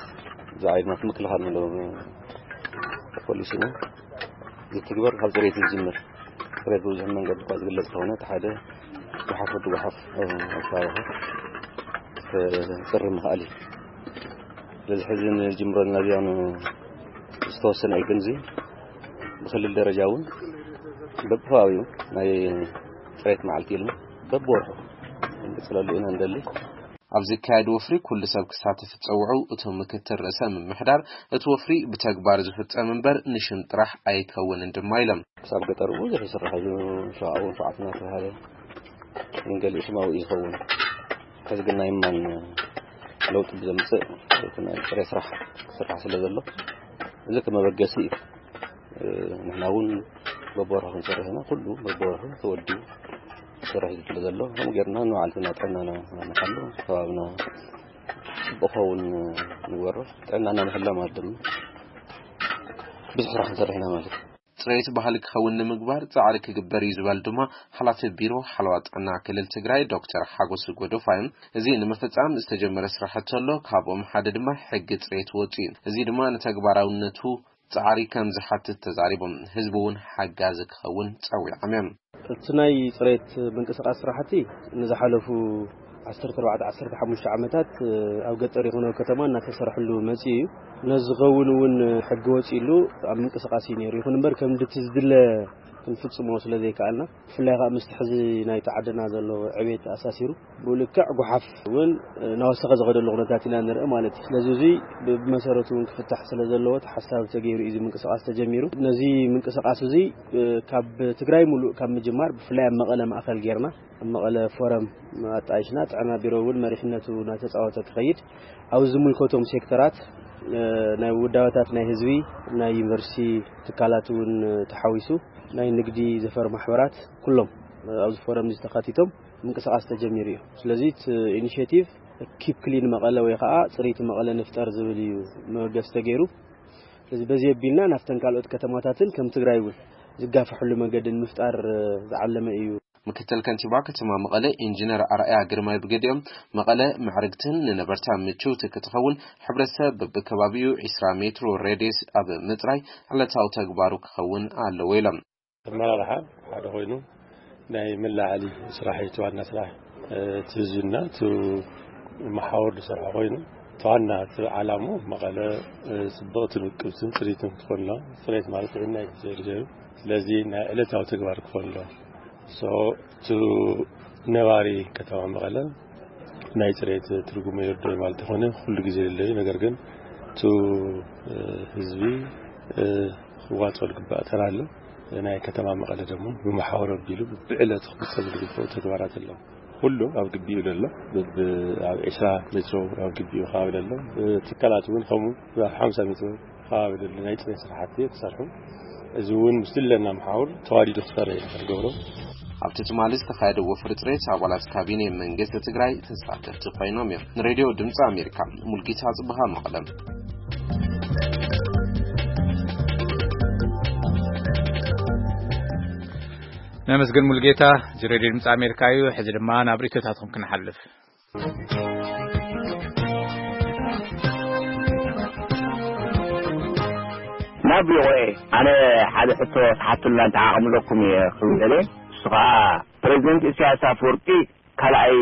ዝዓይድማት ምክልኻል ንብሎ ፖሊሲና ዝትግበር ካብ ፅሬት ዝጅምር። ፅሬት ብብዙሕ መንገዲ እኳ ዝግለጽ እንተኾነ፣ እቲ ሓደ ጎሓፍ ወዲ ጎሓፍ፣ እ፣ ኣብ ከባቢኻ ክፅሪ ምኽኣል እዩ። ስለዚ ሕዚ ንጅምሮ ዘለና እዚኣ ን-፣ ዝተወሰነ እዩ፣ ግን እዚ ብክልል ደረጃ እውን በብከባቢኡ ናይ ፅሬት መዓልቲ ኢልና በብወርሑ ክንቅፅለሉ ኢና ንደሊ። ኣብ ዝካየድ ወፍሪ ኩሉ ሰብ ክሳተፍ ዝፀውዑ እቶም ምክትል ርእሰ ምምሕዳር፣ እቲ ወፍሪ ብተግባር ዝፍፀም እምበር ንሽም ጥራሕ ኣይከውንን ድማ ኢሎም። ክሳብ ገጠር እውን ብዙሕ ይስራሕ እዩ። ሸውዓውን ሸውዓትን እናተባሃለ ግን ገሊኡ ሽማዊ እዩ ዝኸውን። ሕዚ ግን ናይ ማን ለውጢ ብዘምፅእ እቲ ናይ ጥሬ ስራሕ ክስራሕ ስለ ዘሎ፣ እዚ ከመበገሲ እዩ። እ፣ ንሕና እውን በብወርሑ ክንሰርሕ ኢና። ኩሉ በብወርሑ ተወዲቡ ክሰርሕ እዩ ዘሎ። ከምኡ ጌርና ንባዕልትና ጥዕናና ንሓሉ፣ ከባብና ጽቡቕ ክኸውን ንግበሮ። ጥዕናና ምሕላው ማለት ድማ ብዙሕ ስራሕ ክንሰርሕ ኢና ማለት እዩ። ጽሬት ባህሊ ክኸውን ንምግባር ጻዕሪ ክግበር እዩ ዝበል ድማ ሓላፊ ቢሮ ሓለዋ ጥዕና ክልል ትግራይ ዶክተር ሓጎስ ጎዶፋይ፣ እዚ ንምፍጻም ዝተጀመረ ስራሕቲ ኣሎ፣ ካብኦም ሓደ ድማ ሕጊ ጽሬት ወጺኡ እዩ። እዚ ድማ ንተግባራውነቱ ጻዕሪ ከም ዝሓትት ተዛሪቦም። ህዝቢ እውን ሓጋዚ ክኸውን ጸዊዖም እዮም። እቲ ናይ ጽሬት ምንቅስቓስ ስራሕቲ ንዝሓለፉ ዓሰርተ ኣርባዕተ ዓሰርተ ሓሙሽተ ዓመታት ኣብ ገጠር ይኹን ኣብ ከተማ እናተሰርሐሉ መጺኡ እዩ። ነዚ ዝኸውን እውን ሕጊ ወጺእሉ ኣብ ምንቅስቓስ እዩ ነይሩ። ይኹን እምበር ከም ድቲ ዝድለ ክንፍጽሞ ስለ ዘይከኣልና፣ ብፍላይ ከዓ ምስቲ ሕዚ ናይቲ ዓድና ዘሎ ዕቤት ኣሳሲሩ፣ ብኡ ልክዕ ጓሓፍ እውን እናወሰኸ ዝኸደሉ ኩነታት ኢና ንርኢ ማለት እዩ። ስለዚ እዚ ብመሰረቱ እውን ክፍታሕ ስለ ዘለዎ እቲ ሓሳብ ተገይሩ እዩ እዚ ምንቅስቓስ ተጀሚሩ። ነዚ ምንቅስቓስ እዚ ካብ ትግራይ ሙሉእ ካብ ምጅማር ብፍላይ ኣብ መቐለ ማእኸል ጌርና ኣብ መቐለ ፎረም ኣጣይሽና ጥዕና ቢሮ እውን መሪሕነቱ እናተፃወተ ክኸይድ ኣብ ዝምልከቶም ሴክተራት፣ እ፣ ናይ ውዳበታት ናይ ህዝቢ፣ ናይ ዩኒቨርሲቲ ትካላት እውን ተሓዊሱ ናይ ንግዲ ዘፈር ማሕበራት ኩሎም ኣብዚ ፎረም እዚ ተኻቲቶም ምንቅስቓስ ተጀሚሩ እዩ። ስለዚ እቲ ኢኒሽቲቭ ኪፕ ክሊን መቐለ ወይ ከዓ ፅርይቲ መቐለ ንፍጠር ዝብል እዩ መበገሲ ተገይሩ። ስለዚ በዚ ኣቢልና ናብተን ካልኦት ከተማታትን ከም ትግራይ እውን ዝጋፈሕሉ መንገዲ ንምፍጣር ዝዓለመ እዩ። ምክትል ከንቲባ ከተማ መቐለ ኢንጂነር ኣርኣያ ግርማይ ብገዲኦም፣ መቐለ ምዕርግትን ንነበርታ ምችውቲ ክትኸውን ሕብረተሰብ በብከባቢኡ ዒስራ ሜትሮ ሬድየስ ኣብ ምፅራይ ዕለታዊ ተግባሩ ክኸውን ኣለዎ ኢሎም። ኣመራርሓ ሓደ ኮይኑ ናይ መላዓሊ ስራሕ እዩ፣ እቲ ዋና ስራሕ። እቲ ህዝብና እቲ መሓውር ዝሰርሖ ኮይኑ፣ እቲ ዋና እቲ ዓላሙ መቐለ፣ እ፣ ጽብቕትን ውቅብትን ጽሪትን ክትኮን ኣለዋ። ጽሬት ማለት ጥዕና እዩ፣ ግዜ ግዜ እዩ። ስለዚ ናይ ዕለታዊ ተግባር ክኾን ኣለዎ። ሶ፣ እቲ ነባሪ ከተማ መቐለ ናይ ጽሬት ትርጉሙ ይርድኦ ማለት ይኾነ ኩሉ ግዜ ይደሊ፣ ነገር ግን እቲ ህዝቢ ክዋፅኦ ዝግባእ ተራ ኣሎ። ናይ ከተማ መቐለ ደግሞ ብመሓወር ኣቢሉ ብዕለቱ ክፍፀም ዝግብኦ ተግባራት ኣለዉ። ኩሉ ኣብ ግቢኡ ዘሎ ኣብ ዕስራ ሜትሮ ኣብ ግቢኡ ከባቢ ዘሎ ትካላት እውን ከምኡ ኣብ ሓምሳ ሜትሮ ከባቢ ዘሎ ናይ ፅሬት ስራሕቲ ክሰርሑ፣ እዚ እውን ምስ ዝለና መሓውር ተዋዲዱ ክሰርሕ ኢና ክንገብሮ። ኣብቲ ትማሊ ዝተኻየደ ወፍሪ ፅሬት ኣባላት ካቢኔ መንግስቲ ትግራይ ተሳተፍቲ ኮይኖም እዮም። ንሬድዮ ድምፂ ኣሜሪካ ሙልጌታ ፅብሃ መቐለም። ነመስገን ሙልጌታ። እዚ ሬድዮ ድምፂ ኣሜሪካ እዩ። ሕዚ ድማ ናብ ርእቶታትኩም ክንሓልፍ። ናብ ቪኦኤ ኣነ ሓደ ሕቶ ተሓቱልና እንተዓቕምለኩም እየ ክብል እሱ ከዓ ፕሬዚደንት ኢሳያስ ኣፈወርቂ ካልኣይ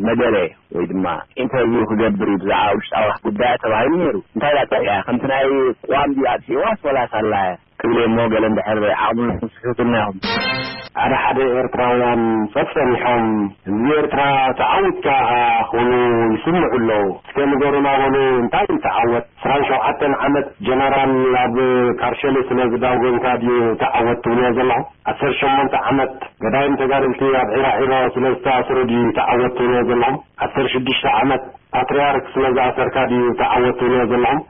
መደረ ወይ ድማ ኢንተርቪው ክገብር እዩ ብዛዕባ ውሽጣዊ ጉዳያ ተባሂሉ ነይሩ። እንታይ ዳ ጠያ ከምቲ ናይ ቋም ድዩ ኣጥፊእዋስ ወላስ ኣላ ክብል እሞ ገለ እንድሕር ዓቕምልኩም ስሕቱልና ኢኹም። ሓደ ሓደ ኤርትራውያን ጸጸኒሖም ህዝቢ ኤርትራ ተዓዊትካ ክብሉ ይስምዑ ኣለዉ። እስከ ንገሩና በሉ እንታይ እዩ ተዓወት? ዕስራን ሸውዓተን ዓመት ጀነራል ኣብ ካርሸሊ ስለ ዝዳጎንካ ድዩ ተዓወት ትብልዎ ዘለኹም? ዓሰርተ ሸሞንተ ዓመት ገዳይም ተጋደልቲ ኣብ ዒራዒሮ ስለ ዝተኣስሩ ድዩ ተዓወት ትብልዎ ዘለኹም? ዓሰርተ ሽዱሽተ ዓመት ፓትርያርክ ስለ ዝኣሰርካ ድዩ ተዓወት ትብልዎ ዘለኹም?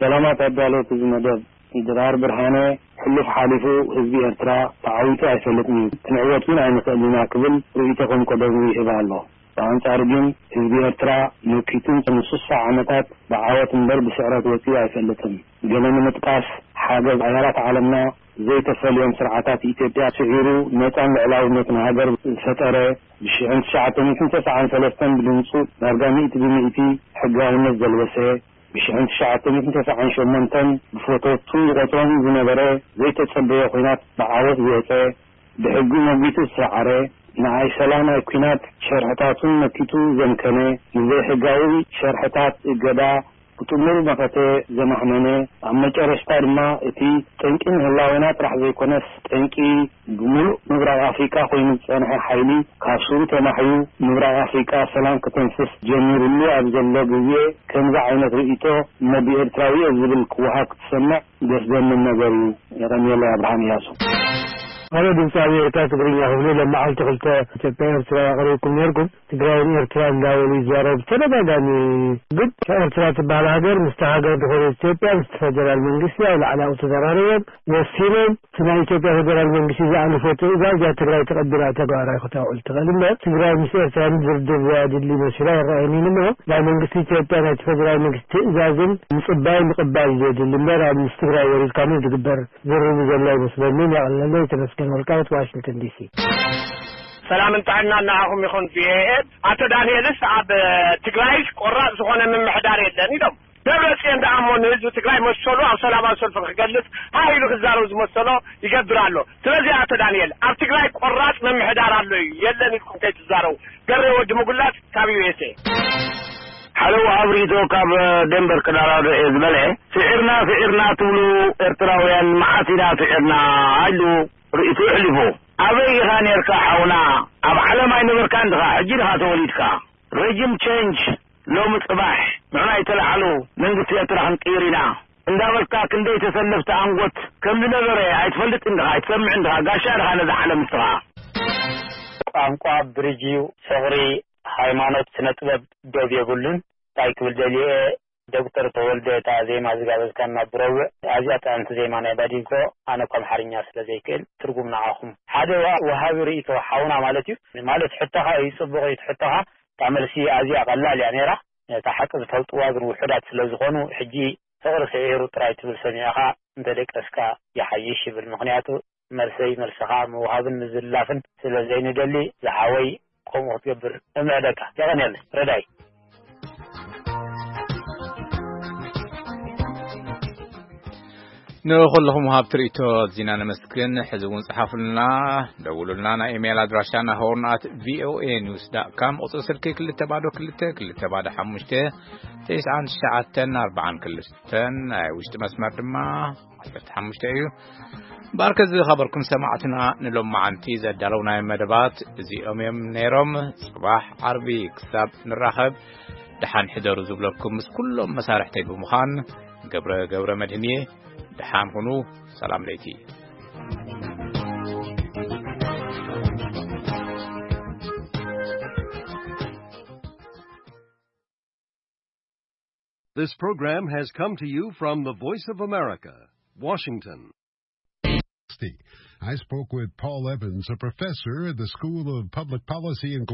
ሰላማት ኣዳለውቲ እዚ መደብ። ድራር ብርሃነ፣ ሕሉፍ ሓሊፉ ህዝቢ ኤርትራ ተዓዊቱ ኣይፈልጥን እዩ፣ ክንዕወት እውን ኣይንኽእልን ኢና ክብል ርእይቶ ከም ቀደሙ ይህብ ኣሎ። ብኣንጻሩ ግን ህዝቢ ኤርትራ መኪቱን ንስሳ ዓመታት ብዓወት እምበር ብስዕረት ወጺኡ ኣይፈልጥን። ገለ ንምጥቃስ፣ ሓገዝ ኣያላት ዓለምና ዘይተፈልዮም ስርዓታት ኢትዮጵያ ስዒሩ ነጻን ልዕላውነትን ሃገር ዝፈጠረ፣ ብሽሕን ትሽዓተ ሚእትን ተስዓን ሰለስተን ብድምጹ ዳርጋ ሚእቲ ብሚእቲ ሕጋውነት ዘልበሰ፣ ብሽሕን ትሽዓተ ሚእትን ተስዓን ሸሞንተን ብፈተውቱ ይቖጽሮም ዝነበረ ዘይተጸበዮ ኲናት ብዓወት ዝወጸ፣ ብሕጊ መጒቱ ዝሰዓረ፣ ንኣይ ሰላም ኣይ ኲናት ሸርሕታቱን መኪቱ ዘምከነ፣ ንዘይሕጋዊ ሸርሕታት እገዳ ብጥሙር መኸተ ዘማህመነ፣ ኣብ መጨረሽታ ድማ እቲ ጠንቂ ንህላዌና ጥራሕ ዘይኮነስ ጠንቂ ብምሉእ ምብራቕ ኣፍሪቃ ኮይኑ ዝጸንሐ ሓይሊ ካብ ሱሩ ተማሕዩ ምብራቕ ኣፍሪቃ ሰላም ከተንፍስ ጀሚሩሉ ኣብ ዘሎ ግዜ ከምዚ ዓይነት ርእይቶ እሞ ብኤርትራዊ እየ ዝብል ክወሃብ ክትሰምዕ ደስ ዘምን ነገር እዩ። የቐንየለይ። ኣብርሃም እያሱ። ኣነ ድምፂ ኣሜሪካ ትግርኛ ክፍሊ ሎም መዓልቲ ክልተ ኢትዮጵያ ኤርትራ ኣቕሪብኩም ነርኩም። ትግራይን ኤርትራ እንዳበሉ ይዛረቡ ብተደጋጋሚ። ግን ኤርትራ ትበሃል ሃገር ምስቲ ሃገር ዝኾነ ኢትዮጵያ ምስቲ ፈደራል መንግስቲ ኣብ ላዕሊ ኣብኡ ተዘራሪቦም ወሲኖም እቲ ናይ ኢትዮጵያ ፈደራል መንግስቲ ዝኣለፎ ትእዛዝ እያ ትግራይ ተቐቢላ ተግባራዊ ክተውዕል ትኽእል እምበር ትግራይ ምስ ኤርትራ ንድርድር ዘያድሊ መሲሉ ኣይረኣየንን እሞ ናይ መንግስቲ ኢትዮጵያ ናይቲ ፈደራል መንግስቲ ትእዛዝን ምፅባይ ምቕባል ዘድሊ እምበር ኣብ ምስ ትግራይ ወሪድካ ምን ዝግበር ዝርርብ ዘሎ ኣይመስለንን። የቐለለይ። ተመስገን ወልቃይት ዋሽንግተን ዲሲ። ሰላምን ጥዕናን ንዓኹም ይኹን። ቪኦኤ። ኣቶ ዳንኤልስ ኣብ ትግራይ ቆራፅ ዝኾነ ምምሕዳር የለን ኢሎም። ደብረፅዮን ደኣ እሞ ንህዝቢ ትግራይ መሰሉ ኣብ ሰላማዊ ሰልፊ ክገልፅ ሃህ ኢሉ ክዛረብ ዝመሰሎ ይገብር ኣሎ። ስለዚ ኣቶ ዳንኤል ኣብ ትግራይ ቆራፅ ምምሕዳር ኣሎ እዩ የለን ኢልኩም ከይትዛረቡ። ገሬ ወዲ ምጉላፅ ካብ ዩ ኤስ ኤ። ሓደ ወሃብ ርእይቶ ካብ ደንበር ክዳራዶ እየ ዝበለ። ስዒርና ስዒርና ትብሉ ኤርትራውያን መዓስ ኢና ስዒርና ኢሉ ርእይቶ ኣሕሊፉ። ኣበይ ኢኻ ኔርካ ሓውና? ኣብ ዓለም ኣይነበርካን ድኻ? ሕጂ ድኻ ተወሊድካ? ረጅም ቸንጅ ሎሚ ጽባሕ ንሕና ኣይተላዕሉ መንግስቲ ኤርትራ ክንቅይር ኢና እንዳበልካ ክንደይ ተሰለፍቲ ኣንጎት ከም ዝነበረ ኣይትፈልጥን ድኻ? ኣይትሰምዕን ድኻ? ጋሻ ድኻ ነዛ ዓለም ንስኻ? ቋንቋ ብርጅ እዩ፣ ፍቕሪ፣ ሃይማኖት፣ ስነ ጥበብ ዶብ የብሉን። እንታይ ክብል ደልየ፣ ዶክተር ተወልደ እታ ዜማ ዝጋበዝካና ብረቡዕ ኣዝያ ጥዕምቲ ዜማ ናይ ባዲንኮ፣ ኣነ እኳ ኣምሓርኛ ስለ ዘይክእል ትርጉም ንዓኹም። ሓደ ወሃቢ ርእይቶ ሓውና ማለት እዩ፣ ማለት ሕቶኻ እዩ ጽቡቕ እዩ፣ እቲ ሕቶኻ እታ መልሲ ኣዝያ ቀላል እያ ነይራ። እታ ሓቂ ዝፈልጥዋ ግን ውሑዳት ስለ ዝኾኑ፣ ሕጂ ፍቕሪ ስዒሩ ጥራይ ትብል ሰሚዕኻ እንተደቀስካ ይሓይሽ ይብል። ምኽንያቱ መልሰይ መልስኻ ምውሃብን ምዝላፍን ስለ ዘይንደሊ ዝሓወይ ከምኡ ክትገብር እምዕደካ። የቐንየለይ ረዳይ። ንኹልኹም ወሃብቲ ርእይቶ ኣዚና ነመስግን። ሕዚ እውን ጽሓፉልና፣ ደውሉልና። ናይ ኢሜይል ኣድራሻና ሆርን ኣት ቪኦኤ ኒውስ ዳት ካም፣ ቁጽሪ ስልኪ ክልተ ባዶ ክልተ ክልተ ባዶ ሓሙሽተ ተስዓን ትሽዓተን ኣርባዓን ክልተን፣ ናይ ውሽጢ መስመር ድማ ዓሰርተ ሓሙሽተ እዩ። ባርከ ዝኸበርኩም ሰማዕትና፣ ንሎማዓንቲ ዘዳለውናዮም መደባት እዚኦም እዮም ነይሮም። ጽባሕ ዓርቢ ክሳብ ንራኸብ፣ ደሓን ሕደሩ ዝብለኩም ምስ ኩሎም መሳርሕተይ ብምዃን፣ ገብረ ገብረ መድህን እየ። ደሓን ሁኑ። ሰላም ለይቲ። This program has come to you from the Voice of America, Washington. I spoke with Paul Evans, a professor at the School of Public Policy and